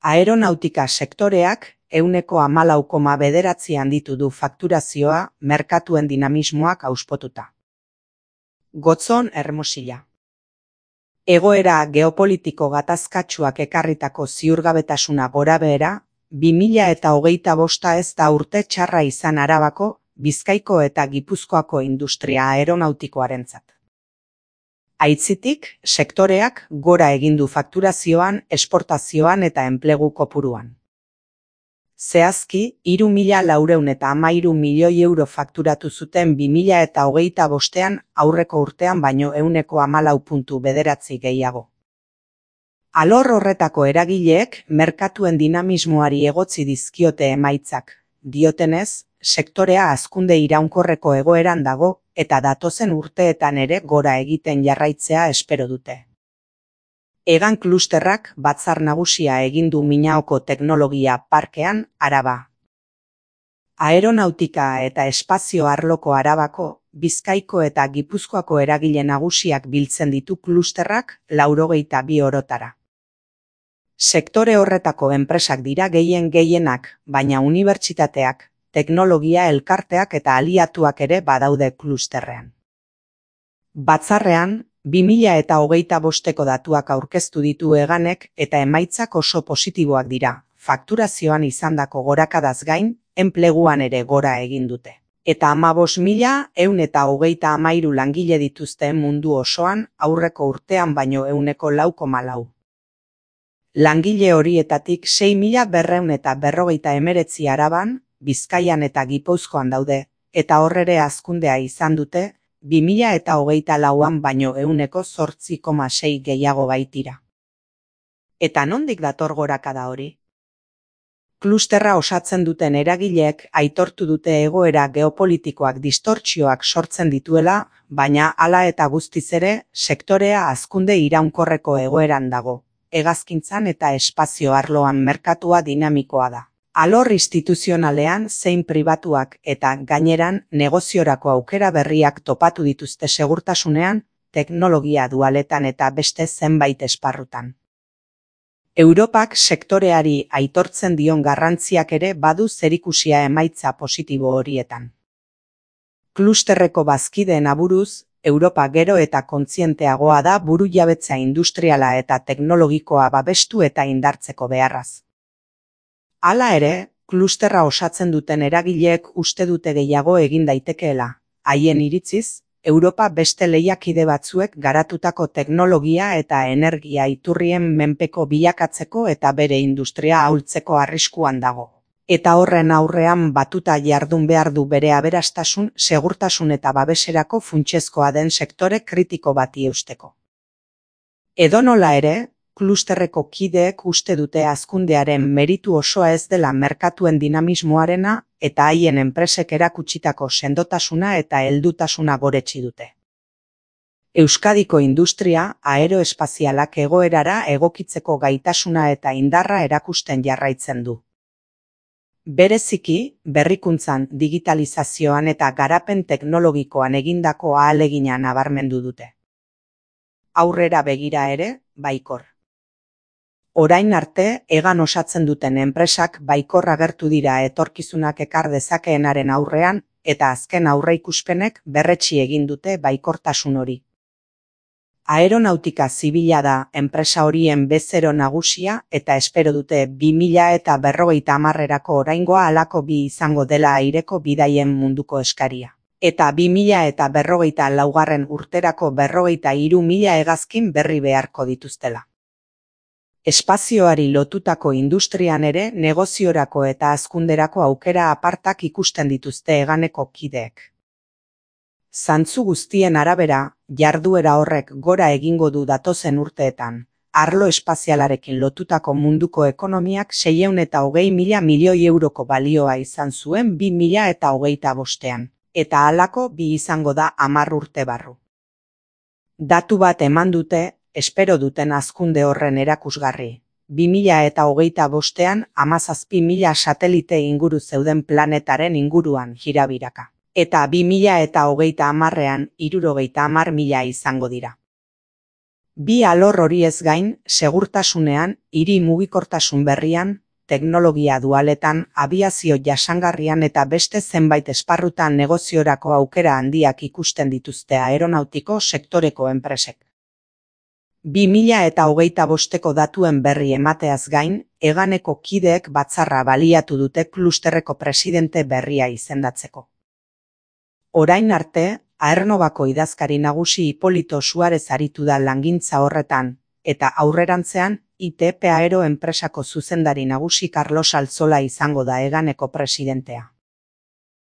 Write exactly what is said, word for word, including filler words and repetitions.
Aeronautika sektoreak ehuneko hamalau koma bederatzi handitu du fakturazioa merkatuen dinamismoak auspotuta. Gotzon Hermosilla. Egoera geopolitiko gatazkatsuak ekarritako ziurgabetasuna gorabehera, bi mila eta hogeita bosta ez da urte txarra izan Arabako, Bizkaiko eta Gipuzkoako industria aeronautikoarentzat. Aitzitik, sektoreak gora egin du fakturazioan, esportazioan eta enplegu kopuruan. Zehazki, hiru mila laurehun eta hamairu milioi euro fakturatu zuten bi mila eta hogeita bostean aurreko urtean baino ehuneko hamalau puntu bederatzi gehiago. Alor horretako eragileek merkatuen dinamismoari egotzi dizkiote emaitzak, diotenez, sektorea hazkunde iraunkorreko egoeran dago eta datozen urteetan ere gora egiten jarraitzea espero dute. Egan klusterrak batzar nagusia egin du Minaoko teknologia parkean Araba. Aeronautika eta espazio arloko Arabako, Bizkaiko eta Gipuzkoako eragile nagusiak biltzen ditu klusterrak laurogeita bi orotara. Sektore horretako enpresak dira gehien gehienak, baina unibertsitateak, teknologia elkarteak eta aliatuak ere badaude klusterrean. Batzarrean, bi mila eta hogeita bosteko datuak aurkeztu ditu Eganek eta emaitzak oso positiboak dira, fakturazioan izandako gorakadaz gain, enpleguan ere gora egin dute. Eta hamabost mila ehun eta hogeita hamairu langile dituzte mundu osoan aurreko urtean baino ehuneko lau koma lau. Langile horietatik sei mila berrehun eta berrogeita hemeretzi Araban, Bizkaian eta Gipuzkoan daude, eta horrere hazkundea izan dute, bi mila eta hogeita lauan baino ehuneko zortzi koma sei gehiago baitira. Eta nondik dator gorakada hori? Klusterra osatzen duten eragileek aitortu dute egoera geopolitikoak distortsioak sortzen dituela, baina hala eta guztiz ere, sektorea hazkunde iraunkorreko egoeran dago, hegazkintzan eta espazio arloan merkatua dinamikoa da. Alor instituzionalean zein pribatuak eta gaineran negoziorako aukera berriak topatu dituzte segurtasunean, teknologia dualetan eta beste zenbait esparrutan. Europak sektoreari aitortzen dion garrantziak ere badu zerikusia emaitza positibo horietan. Klusterreko bazkideen aburuz, Europa gero eta kontzienteagoa da burujabetza industriala eta teknologikoa babestu eta indartzeko beharraz. Hala ere, klusterra osatzen duten eragileek uste dute gehiago egin daitekeela. Haien iritziz, Europa beste lehiakide batzuek garatutako teknologia eta energia iturrien menpeko bilakatzeko eta bere industria ahultzeko arriskuan dago. Eta horren aurrean batuta jardun behar du bere aberastasun, segurtasun eta babeserako funtsezkoa den sektore kritiko bati eusteko. Edonola ere, klusterreko kideek uste dute hazkundearen meritu osoa ez dela merkatuen dinamismoarena eta haien enpresek erakutsitako sendotasuna eta heldutasuna goretsi dute. Euskadiko industria aeroespazialak egoerara egokitzeko gaitasuna eta indarra erakusten jarraitzen du. Bereziki, berrikuntzan, digitalizazioan eta garapen teknologikoan egindako ahalegina nabarmendu dute. Aurrera begira ere, baikor. Orain arte, Egan osatzen duten enpresak baikor agertu dira etorkizunak ekar dezakeenaren aurrean, eta azken aurreikuspenek berretsi egin dute baikortasun hori. Aeronautika zibila da enpresa horien bezero nagusia eta espero dute bi mila eta berrogeita hamarrerako oraingoa halako bi izango dela aireko bidaien munduko eskaria. Eta bi mila eta berrogeita laugarren urterako berrogeita hiru mila hegazkin berri beharko dituztela. Espazioari lotutako industrian ere negoziorako eta hazkunderako aukera apartak ikusten dituzte Eganeko kideek. Zantzu guztien arabera, jarduera horrek gora egingo du datozen urteetan, arlo espazialarekin lotutako munduko ekonomiak seiehun eta hogei mila milioi euroko balioa izan zuen bi mila eta hogeita bostean, eta halako bi izango da hamar urte barru. Datu bat eman dute, espero duten hazkunde horren erakusgarri. bi mila eta hogeita bostean hamazazpi mila satelite inguru zeuden planetaren inguruan jirabiraka. Eta bi mila eta hogeita hamarrean hirurogeita hamar mila izango dira. Bi alor horiez gain, segurtasunean, hiri mugikortasun berrian, teknologia dualetan, abiazio jasangarrian eta beste zenbait esparrutan negoziorako aukera handiak ikusten dituzte aeronautiko sektoreko enpresek. bi mila eta hogeita bosteko datuen berri emateaz gain, Eganeko kideek batzarra baliatu dute klusterreko presidente berria izendatzeko. Orain arte, Aernnovako idazkari nagusi Hipolito Suarez aritu da langintza horretan, eta aurrerantzean, I T P Aero enpresako zuzendari nagusi Carlos Altzola izango da Eganeko presidentea.